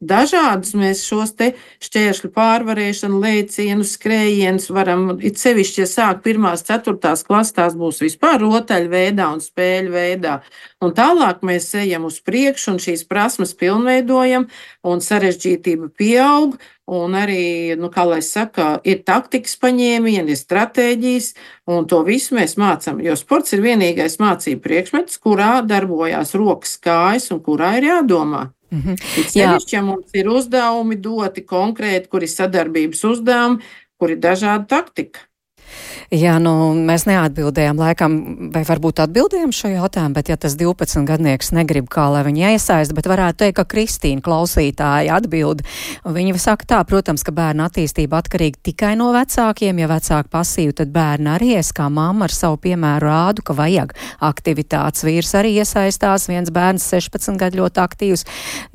Dažādus mēs šos te šķēršļu pārvarēšanu, lēcienus, skrējienus varam, it sevišķi, ja sāk 1., 4. klases, tās būs vispār rotaļveidā un spēļu veidā. Un tālāk mēs ejam uz priekšu un šīs prasmes pilnveidojam un sarežģītība pieaug. Un arī, kā lai saka, ir taktikas paņēmieni, ir stratēģijas, un to visu mēs mācām. Jo sports ir vienīgais mācību priekšmets, kurā darbojās rokas, kājas un kurā ir jādomā. Sevišķi, ja mums ir uzdevumi doti konkrēti, kur ir sadarbības uzdevumi, kur ir dažāda taktika. Jā, mēs neatbildējām laikam, vai varbūt atbildējām šo jautājumu, bet ja tas 12-gadnieks negrib, kā lai viņi iesaist, bet varētu teikt, ka Kristīna klausītāja atbild. Viņa saka tā, protams, ka bērna attīstība atkarīga tikai no vecākiem. Ja vecāki pasīvi, tad bērni arī es kā mamma ar savu piemēru rādu, ka vajag aktivitātes. Vīrs arī iesaistās, viens bērns 16 gadu ļoti aktīvs,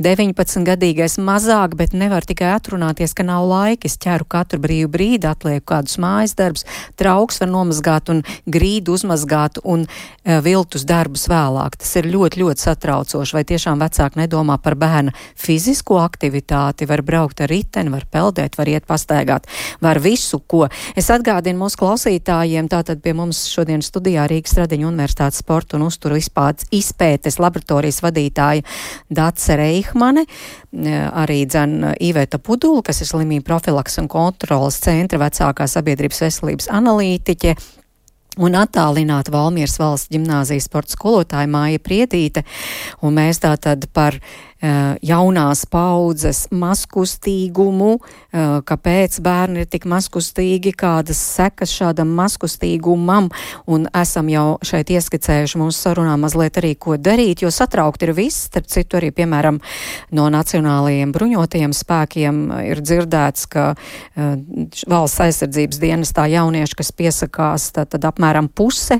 19-gadīgais mazāk, bet nevar tikai atrunāties, ka nav laika. Es ķeru katru brīvu brīdi, atlieku kādus mājas darbus, trauks var nomazgāt un grīdu uzmazgāt un viltus darbus vēlāk. Tas ir ļoti, ļoti satraucoši. Vai tiešām vecāki nedomā par bērna fizisko aktivitāti, var braukt ar riteni, var peldēt, var iet pastaigāt, var visu, ko. Es atgādinu mūsu klausītājiem, tātad pie mums šodien studijā Rīgas Stradiņu Universitātes sporta un uzturu izpētes laboratorijas vadītāja Dace Reihmane, arī Iveta Pudula, kas ir slimību profilaks un kontrolas centra vecākā sabiedrības veselības analītiķe, un attālināta Valmieras valsts ģimnāzijas sporta skolotāja Māja Priedīte, un mēs tātad par jaunās paudzes mazkustīgumu, kāpēc bērni ir tik mazkustīgi, kādas sekas šādam mazkustīgumam, un esam jau šeit ieskicējuši mūsu sarunā mazliet arī, ko darīt, jo satraukt ir viss, starp citu arī, piemēram, no nacionālajiem bruņotajiem spēkiem ir dzirdēts, ka valsts aizsardzības dienestā jaunieši, kas piesakās, tad apmēram puse,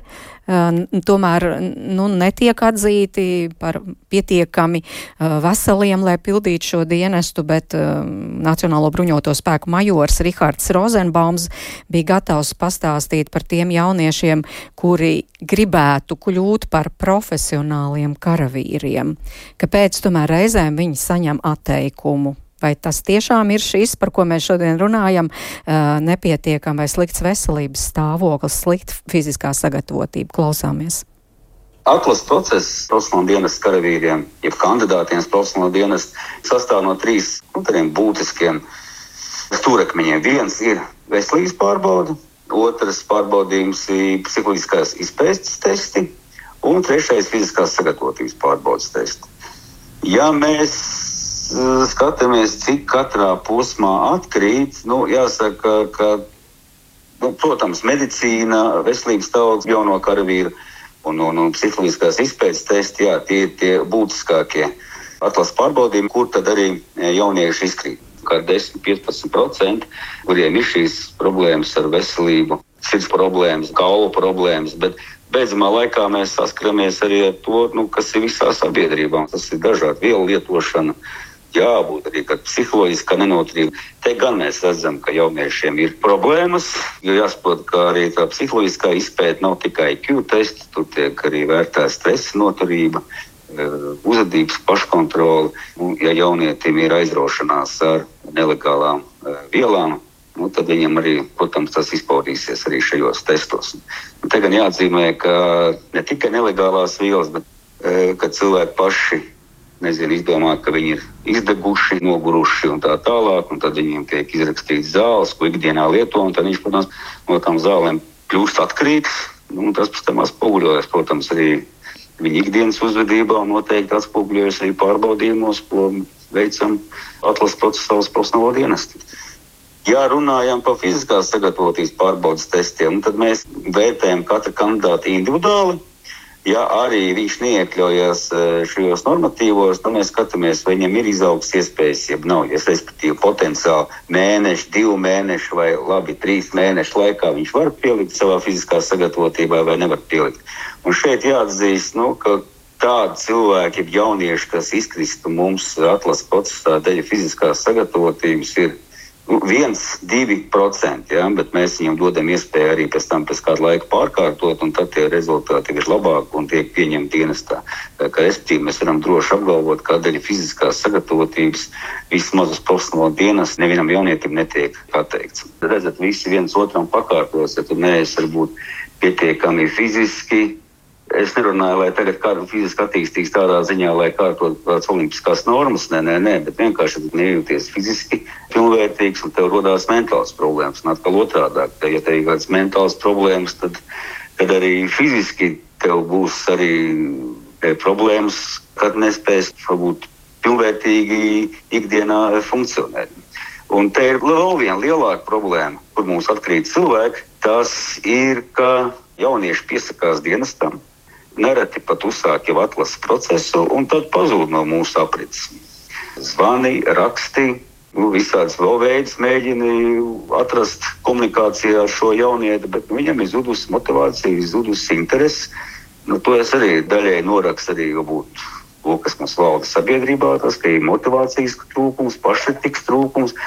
tomēr netiek atzīti par pietiekami veseliem, lai pildītu šo dienestu, bet Nacionālo bruņoto spēku majors Rihards Rozenbaums bija gatavs pastāstīt par tiem jauniešiem, kuri gribētu kļūt par profesionāliem karavīriem. Kāpēc tomēr reizēm viņi saņem atteikumu? Vai tas tiešām ir šis, par ko mēs šodien runājam, nepietiekam vai slikts veselības stāvoklis, slikta fiziskā sagatavotība? Klausāmies. Atlases process profesionāla dienesta karavīriem, jeb kandidātiem profesionāla dienesta, sastāv no 3 tādiem būtiskiem stūrakmeņiem. Viens ir veselības pārbaude, otrs pārbaudījums ir psiholoģiskās izpētes testi, un 3. fiziskās sagatavotības pārbaudes testi. Ja mēs skatāmies, cik katrā posmā atkrīt, jāsaka, ka, protams, medicīna, veselības stāvoklis jauno karavīru un psiholoģiskās izpētes testi, tie ir tie būtiskākie atlases pārbaudījumi, kur tad arī jaunieši izkrīt. Kā 10–15%, kuriem ir šīs problēmas ar veselību, sirds problēmas, kaulu problēmas, bet beidzamā laikā mēs saskaramies arī ar to, kas ir visā sabiedrībā. Tas ir dažādi vielu lietošana, jābūt arī psiholoģiskā nenoturība. Te gan mēs redzam, ka jauniešiem ir problēmas, jo jāsaprot, ka arī tā psiholoģiskā izpēta nav tikai IQ tests, tur tiek arī vērtēta stresa noturība, uzvedības paškontrole. Ja jaunietim ir aizraušanās ar nelegālām vielām, tad viņam arī, protams, tas izpaudīsies arī šajos testos. Te gan jāatzīmē, ka ne tikai nelegālās vielas, bet kad cilvēki paši izdomā, ka viņi ir izdeguši, noguruši un tā tālāk, un tad viņiem tiek izrakstīts zāles, ko ikdienā lieto, un tad viņš, protams, no tām zālēm kļūst atkarīgs, un tas pēc tam atspoguļojas, protams, arī viņa ikdienas uzvedībā, un noteikti atspoguļojas arī pārbaudījumos, ko veicam atlases procesā profesionālo dienestu. Ja runājam par fiziskās sagatavotības pārbaudes testiem, tad mēs vērtējam katru kandidātu individuāli. Ja arī viņš neiekļaujas šajos normatīvos, tad mēs skatāmies, vai viņam ir izaugs iespējas, ja nav, respektīvi potenciāli mēneši, 2 mēneši vai labi 3 mēnešu laikā viņš var pielikt savā fiziskā sagatavotībā vai nevar pielikt. Un šeit jāatzīst, ka tādi cilvēki, jaunieši, kas izkristu mums atlases procesā dēļ fiziskās sagatavotības, ir 1–2%, bet mēs viņam dodam iespēju arī pēc kādu laiku pārkārtot, un tad tie rezultāti ir labāki un tiek pieņemti dienestā. Respektīvi, mēs varam droši apgalvot, ka dēļ fiziskās sagatavotības vismaz uz profesionālo dienestu nevienam jaunietim netiek pateikts. Redzat, visi viens otram pakārtos, ja tu neesi varbūt pietiekami fiziski. Es nerunāju, lai tagad kādu fiziski attīstīs tādā ziņā, lai kārtot tādas olimpiskās normas, nē, bet vienkārši nejūties fiziski pilnvērtīgs un tev rodās mentāls problēmas. Un atkal otrādāk, ja tev ir kādas mentāls problēmas, tad arī fiziski tev būs arī problēmas, kad nespēs varbūt pilnvērtīgi ikdienā funkcionēt. Un te ir vēl viena lielāka problēma, kur mums atkrīt cilvēki, tas ir, ka jaunieši piesakās dienestam, nereti pat uzsāk jau atlases procesu un tad pazūd no mūsu aprits. Zvani, raksti, visādas vēl veidus mēģina atrast komunikācijā ar šo jaunieti, bet viņam ir zudusi motivācija, zudusi interesi. To es arī daļai norakstu arī būt, kas mums valda sabiedrībā, tas, ka ir motivācijas trūkums, paškritikas trūkums,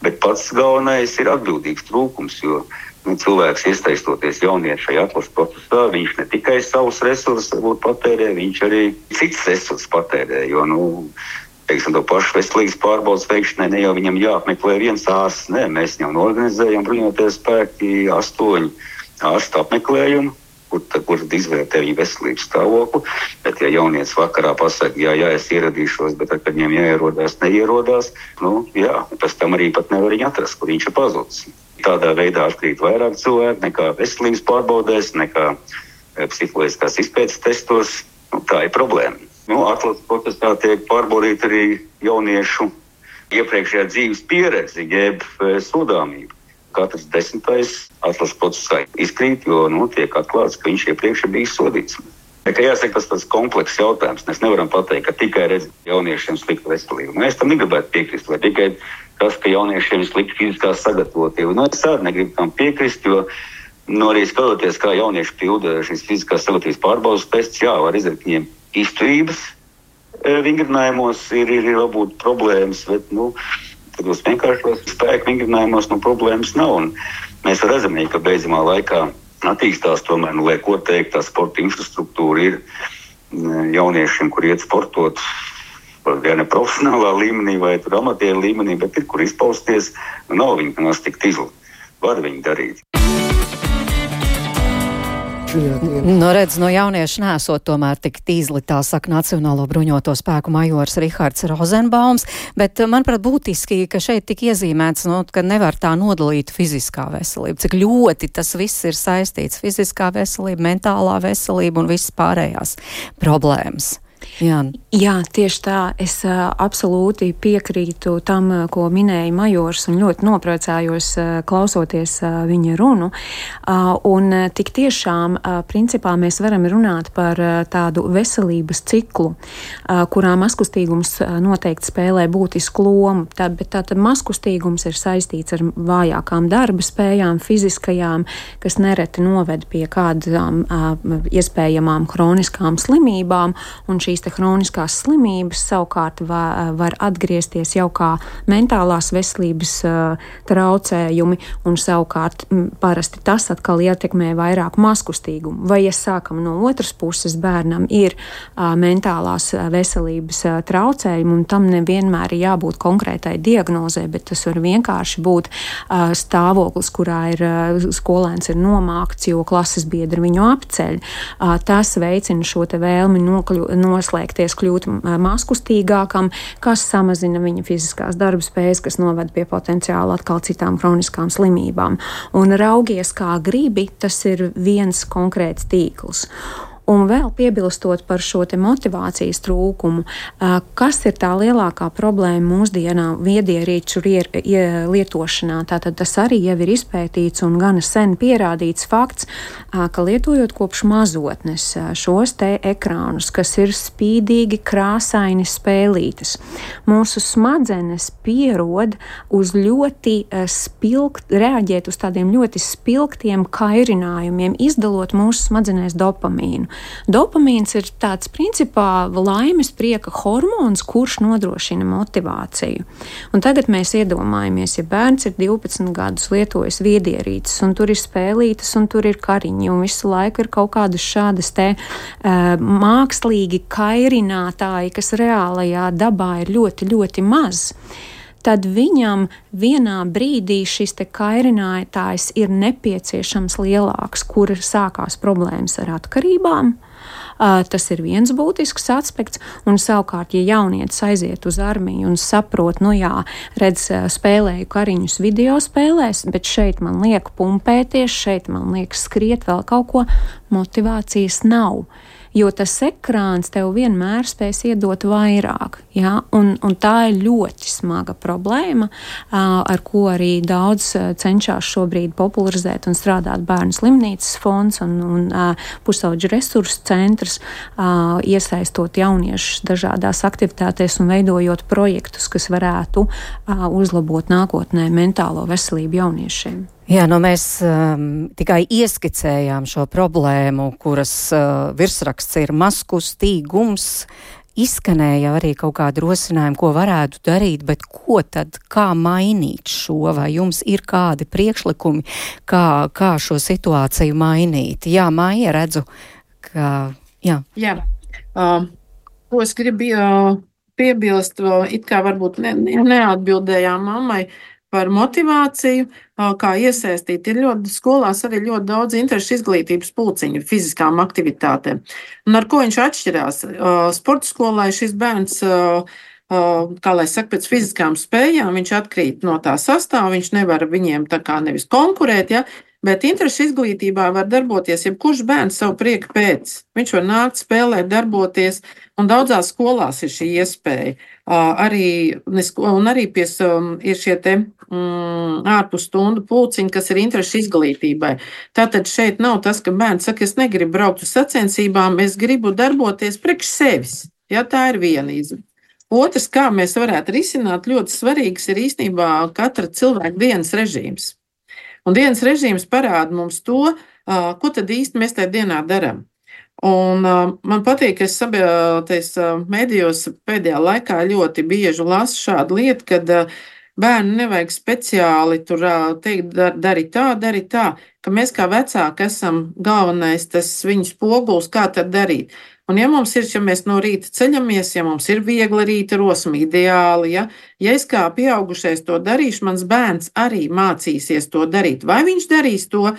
bet pats galvenais ir atbildīgs trūkums, jo cilvēks iesaistoties jaunieši šajā atlases procesā, viņš ne tikai savus resursus patērē, viņš arī cits resursus patērē, jo, to pašu veselības pārbaudas veikšanai ne jau viņam jāapmeklē viens ārsts, nē, mēs viņam organizējam bruņoties spēki 8 ārstu apmeklējumu, kur izvērtē viņa veselības stāvokli, bet ja jaunietis vakarā pasaka, jā, es ieradīšos, bet kad viņam neierodās, pēc tam arī pat nevar viņu atrast, kur viņš ir pazudis. Tādā veidā atkrīt vairāk cilvēku nekā veselības pārbaudēs, nekā psiholoģiskās izpētes testos. Tā ir problēma. Atlases procesā tiek pārbaudīta arī jauniešu iepriekšējā dzīves pieredze, jeb sodāmība. Katrs 10. atlases procesā izkrīt, jo tiek atklāts, ka viņš iepriekš ir bijis sodīts. Jāsaka, tas tāds komplekss jautājums. Mēs nevaram pateikt, ka tikai redz jauniešiem sliktu veselību. Mēs tam negribētu piekrist, vai tikai tas, ka jauniešiem ir slikta fiziskā sagatavotība. Es arī negribu tam piekrist, jo arī skatoties, kā jaunieši pilda šīs fiziskās sagatavotības pārbaudas tests, var izdarīt viņiem izturības vingrinājumos, ir varbūt problēmas, bet tādos vienkāršos spēku vingrinājumos problēmas nav. Un mēs redzam, ka beidzamā laikā attīstās tomēr, lai ko teikt, tā sporta infrastruktūra ir jauniešiem, kur iet sportot, ja ne profesionālā līmenī vai amatieru līmenī, bet ir kur izpausties, nav viņi nemaz tik tīzli. Var viņi darīt. Redz, no jauniešu nesot tomēr tik tīzli, tā saka Nacionālo bruņoto spēku majors Rihards Rozenbaums, bet manuprāt būtiski, ka šeit tik iezīmēts, ka nevar tā nodalīt fiziskā veselība, cik ļoti tas viss ir saistīts, fiziskā veselība, mentālā veselība un visas pārējās problēmas. Jā, tieši tā. Es absolūti piekrītu tam, ko minēja majors, un ļoti nopriecājos klausoties viņa runu. Un tik tiešām, principā, mēs varam runāt par tādu veselības ciklu, kurā mazkustīgums noteikti spēlē būtisku lomu. Bet tātad mazkustīgums ir saistīts ar vājākām darba spējām, fiziskajām, kas nereti noved pie kādām iespējamām kroniskām slimībām, un šīs te kroniskās slimības savukārt var atgriezties jau kā mentālās veselības traucējumi, un savukārt parasti tas atkal ietekmē vairāk mazkustīgumu. Vai, ja sākam no otras puses, bērnam ir mentālās veselības traucējumi, un tam nevienmēr ir jābūt konkrētai diagnozē, bet tas var vienkārši būt stāvoklis, kurā skolēns ir nomākts, jo klases biedri viņu apceļ. Tas veicina šo te vēlmi noslēgties, kļūt mazkustīgākam, kas samazina viņa fiziskās darba spējas, kas noved pie potenciāli atkal citām kroniskām slimībām. Un raugies kā gribi, tas ir viens konkrēts tīkls. Un vēl piebilstot par šo te motivācijas trūkumu, kas ir tā lielākā problēma mūsdienā viedierīču lietošanā. Tātad tas arī jau ir izpētīts un gana sen pierādīts fakts, ka lietojot kopš mazotnes šos te ekrānus, kas ir spīdīgi, krāsaini spēlītes, mūsu smadzenes pierod uz ļoti reaģēt uz tādiem ļoti spilgtiem kairinājumiem, izdalot mūsu smadzenēs dopamīnu. Dopamīns ir tāds principā laimes prieka hormons, kurš nodrošina motivāciju. Un tagad mēs iedomājamies, ja bērns ir 12 gadus lietojis viedierīces, un tur ir spēlītes, un tur ir kariņi, un visu laiku ir kaut kādas šādas te mākslīgi kairinātāji, kas reālajā dabā ir ļoti, ļoti maz. Tad viņam vienā brīdī šis te kairinātājs ir nepieciešams lielāks, kur sākās problēmas ar atkarībām. Tas ir viens būtisks aspekts, un savukārt, ja jaunietis aiziet uz armiju un saprot, redz, spēlēju kariņus video spēlēs, bet šeit man liek pumpēties, šeit man liek skriet vēl kaut ko, motivācijas nav. Jo tas ekrāns tev vienmēr spēs iedot vairāk. Ja? Un tā ir ļoti smaga problēma, ar ko arī daudz cenšas šobrīd popularizēt un strādāt Bērnu slimnīcas fonds un pusauģu resursu centrs, iesaistot jauniešus dažādās aktivitātēs un veidojot projektus, kas varētu uzlabot nākotnē mentālo veselību jauniešiem. Jā, mēs tikai ieskicējām šo problēmu, kuras virsraksts ir mazkustīgums. Izskanēja arī kaut kādi rosinājumi, ko varētu darīt, bet ko tad, kā mainīt šo, vai jums ir kādi priekšlikumi, kā šo situāciju mainīt? Jā, Maija, redzu, ka jā. Jā, ko es gribu piebilst, it kā varbūt neatbildējām mammai, par motivāciju, kā iesaistīt. Ir skolās arī ļoti daudz interešu izglītības pulciņu fiziskām aktivitātēm. Un ar ko viņš atšķirās? Sporta skolā šis bērns, kā lai saka, pēc fiziskām spējām, viņš atkrīt no tā sastāva, viņš nevar viņiem tā kā nevis konkurēt, ja? Bet interešu izglītībā var darboties jebkurš bērns savu prieku pēc. Viņš var nākt, spēlēt, darboties, un daudzās skolās ir šī iespēja. Arī ir šie te ārpus stundu pulciņi, kas ir interešu izglītībai. Tātad šeit nav tas, ka bērns saka, es negribu braukt uz sacensībām, es gribu darboties priekš sevis. Ja, tā ir viena izvēle. Otrs, kā mēs varētu risināt, ļoti svarīgs ir īstenībā katra cilvēka dienas režīms. Un dienas režīms parāda mums to, ko tad īsti mēs tajā dienā darām. Un man patīk, ka es medijos pēdējā laikā ļoti bieži lasu šādu lietu, kad bērnu nevajag speciāli tur teikt, dari tā, ka mēs kā vecāki esam galvenais tas viņu spogulis, kā tad darīt. Un ja mēs no rīta ceļamies, ja mums ir viegla rīta rosma, ideāli, ja es kā pieaugušais to darīšu, mans bērns arī mācīsies to darīt. Vai viņš darīs to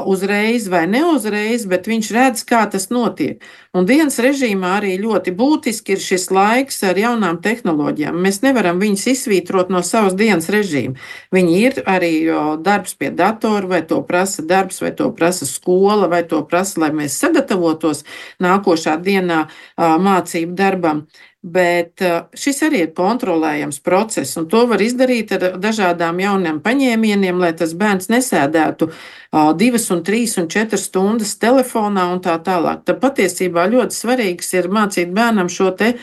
uzreiz vai neuzreiz, bet viņš redz, kā tas notiek. Un dienas režīmā arī ļoti būtiski ir šis laiks ar jaunām tehnoloģijām. Mēs nevaram viņus izsvītrot no savas dienas režīma. Viņi ir arī darbs pie datora, vai to prasa darbs, vai to prasa skola, vai to prasa, lai mēs sagatavotos nākošā dienā mācību darbam. Bet šis arī ir kontrolējams process, un to var izdarīt ar dažādām jauniem paņēmieniem, lai tas bērns nesēdētu 2, 3 un 4 stundas telefonā un tā tālāk. Tad patiesībā ļoti svarīgs ir mācīt bērnam šo te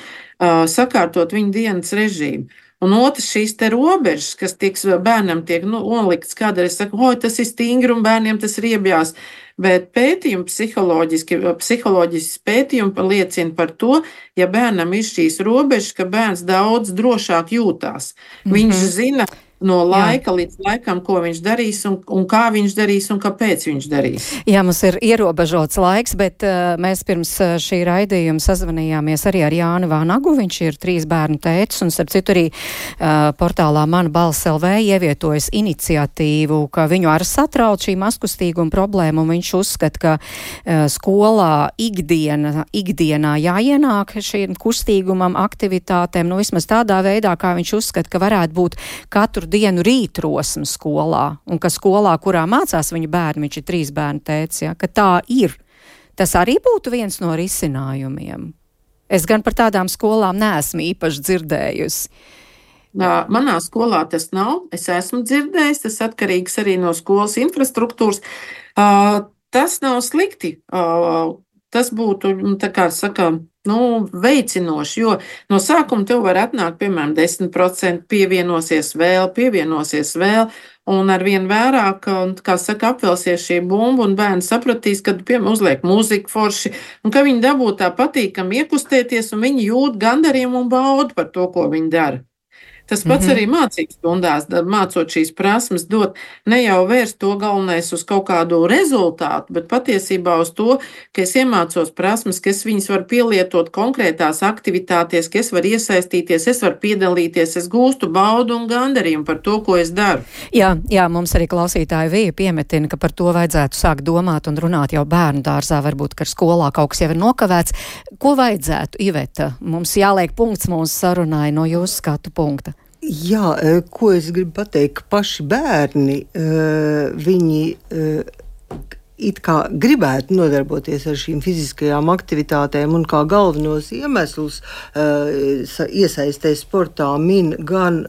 sakārtot viņa dienas režīmu. Un otrs šīs te robežas, kas bērnam tiek nolikts, kādreiz saka, tas ir stingri un bērniem tas ir iebjās. Bet pētījumi, psiholoģisks pētījumi liecina par to, ja bērnam ir šīs robežas, ka bērns daudz drošāk jūtās. Viņš zina no laika līdz laikam, ko viņš darīs un kā viņš darīs un kāpēc viņš darīs. Jā, mums ir ierobežots laiks, bet mēs pirms šī raidījuma sazvanījāmies arī ar Jāni Vānagu. Viņš ir 3 bērnu tētis un starp citu arī portālā Mana balss LV ievietojas iniciatīvu, ka viņu ar satrauc šī mazkustīguma problēma, un viņš uzskata, ka skolā ikdienā jāienāk šiem kustīgumam, aktivitātēm, vismaz tādā veidā, kā viņš uzskata, ka varētu būt katru dienu rītrosme skolā, un ka skolā, kurā mācās viņa bērni, viņš ir 3 bērnu tētis, ja, ka tā ir. Tas arī būtu viens no risinājumiem. Es gan par tādām skolām neesmu īpaši dzirdējusi. Manā skolā tas nav. Es esmu dzirdējis, tas atkarīgs arī no skolas infrastruktūras. Tas nav slikti. Tas būtu, tā kā saka, veicinoši, jo no sākuma tev var atnākt, piemēram, 10%, pievienosies vēl, un ar vien vairāk, kā saka, apvelsies šī bumba, un bērni sapratīs, kad, piemēram, uzliek muziku forši, un ka viņi dabū tā patīkami iekustēties, un viņi jūt gandarījumu un baudu par to, ko viņi dara. Tas pats arī mācības stundās, mācot šīs prasmes, dot ne jau vērst to galvenais uz kaut kādu rezultātu, bet patiesībā uz to, ka es iemācos prasmes, ka es viņas varu pielietot konkrētās aktivitātēs, ka es varu iesaistīties, es varu piedalīties, es gūstu baudu un gandarījumu par to, ko es daru. Jā, mums arī klausītāji Vija piemetina, ka par to vajadzētu sākt domāt un runāt jau bērnu dārzā, varbūt, ka skolā kaut kas jau ir nokavēts. Ko vajadzētu, Iveta? Mums jāliek punkts mūsu sarunai no jūsu skatu punkta. Jā, ko es gribu pateikt, ka paši bērni, viņi it kā gribētu nodarboties ar šīm fiziskajām aktivitātēm un kā galvenos iemeslus iesaistē sportā min gan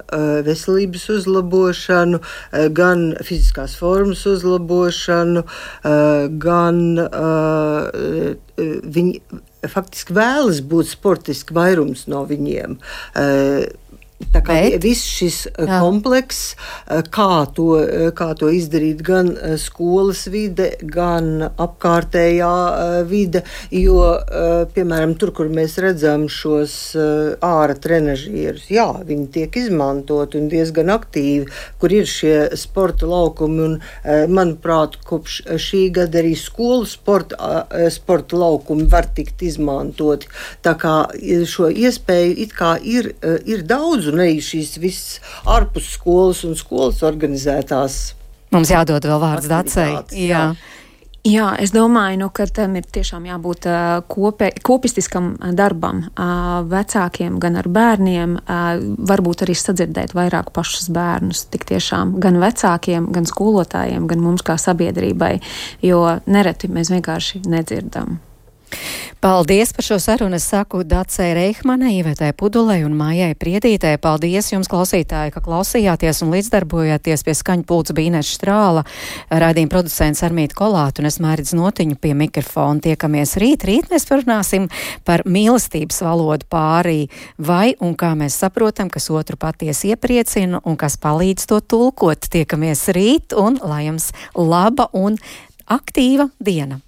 veselības uzlabošanu, gan fiziskās formas uzlabošanu, gan viņi faktiski vēlas būt sportiski vairums no viņiem. Tā kā viss šis komplekss, kā to izdarīt gan skolas vide, gan apkārtējā vide, jo, piemēram, tur, kur mēs redzam šos āra trenažierus, jā, viņi tiek izmantot un diezgan aktīvi, kur ir šie sporta laukumi, un, manuprāt, kopš šī gada arī skolu sporta laukumi var tikt izmantoti. Tā kā šo iespēju it kā ir daudz, un arī šīs visas ārpus skolas un skolas organizētās. Mums jādod vēl vārds Dacei. Jā, es domāju, ka tam ir tiešām jābūt kopistiskam darbam vecākiem, gan ar bērniem, varbūt arī sadzirdēt vairāk pašus bērnus, tik tiešām gan vecākiem, gan skolotājiem, gan mums kā sabiedrībai, jo nereti mēs vienkārši nedzirdam. Paldies par šo sarunu. Es saku Dacei Reihmanai, Ivetai Pudulei un Mājai Priedītei. Paldies jums, klausītāji, ka klausījāties un līdzdarbojāties pie skaņu pults Bīnes Štrāla, raidījuma producents Armīta Kolāta un es Mairidz Notiņu pie mikrofona. Tiekamies rīt mēs parunāsim par mīlestības valodu pārī, vai un kā mēs saprotam, kas otru patiesi iepriecina un kas palīdz to tulkot. Tiekamies rīt un lai jums laba un aktīva diena.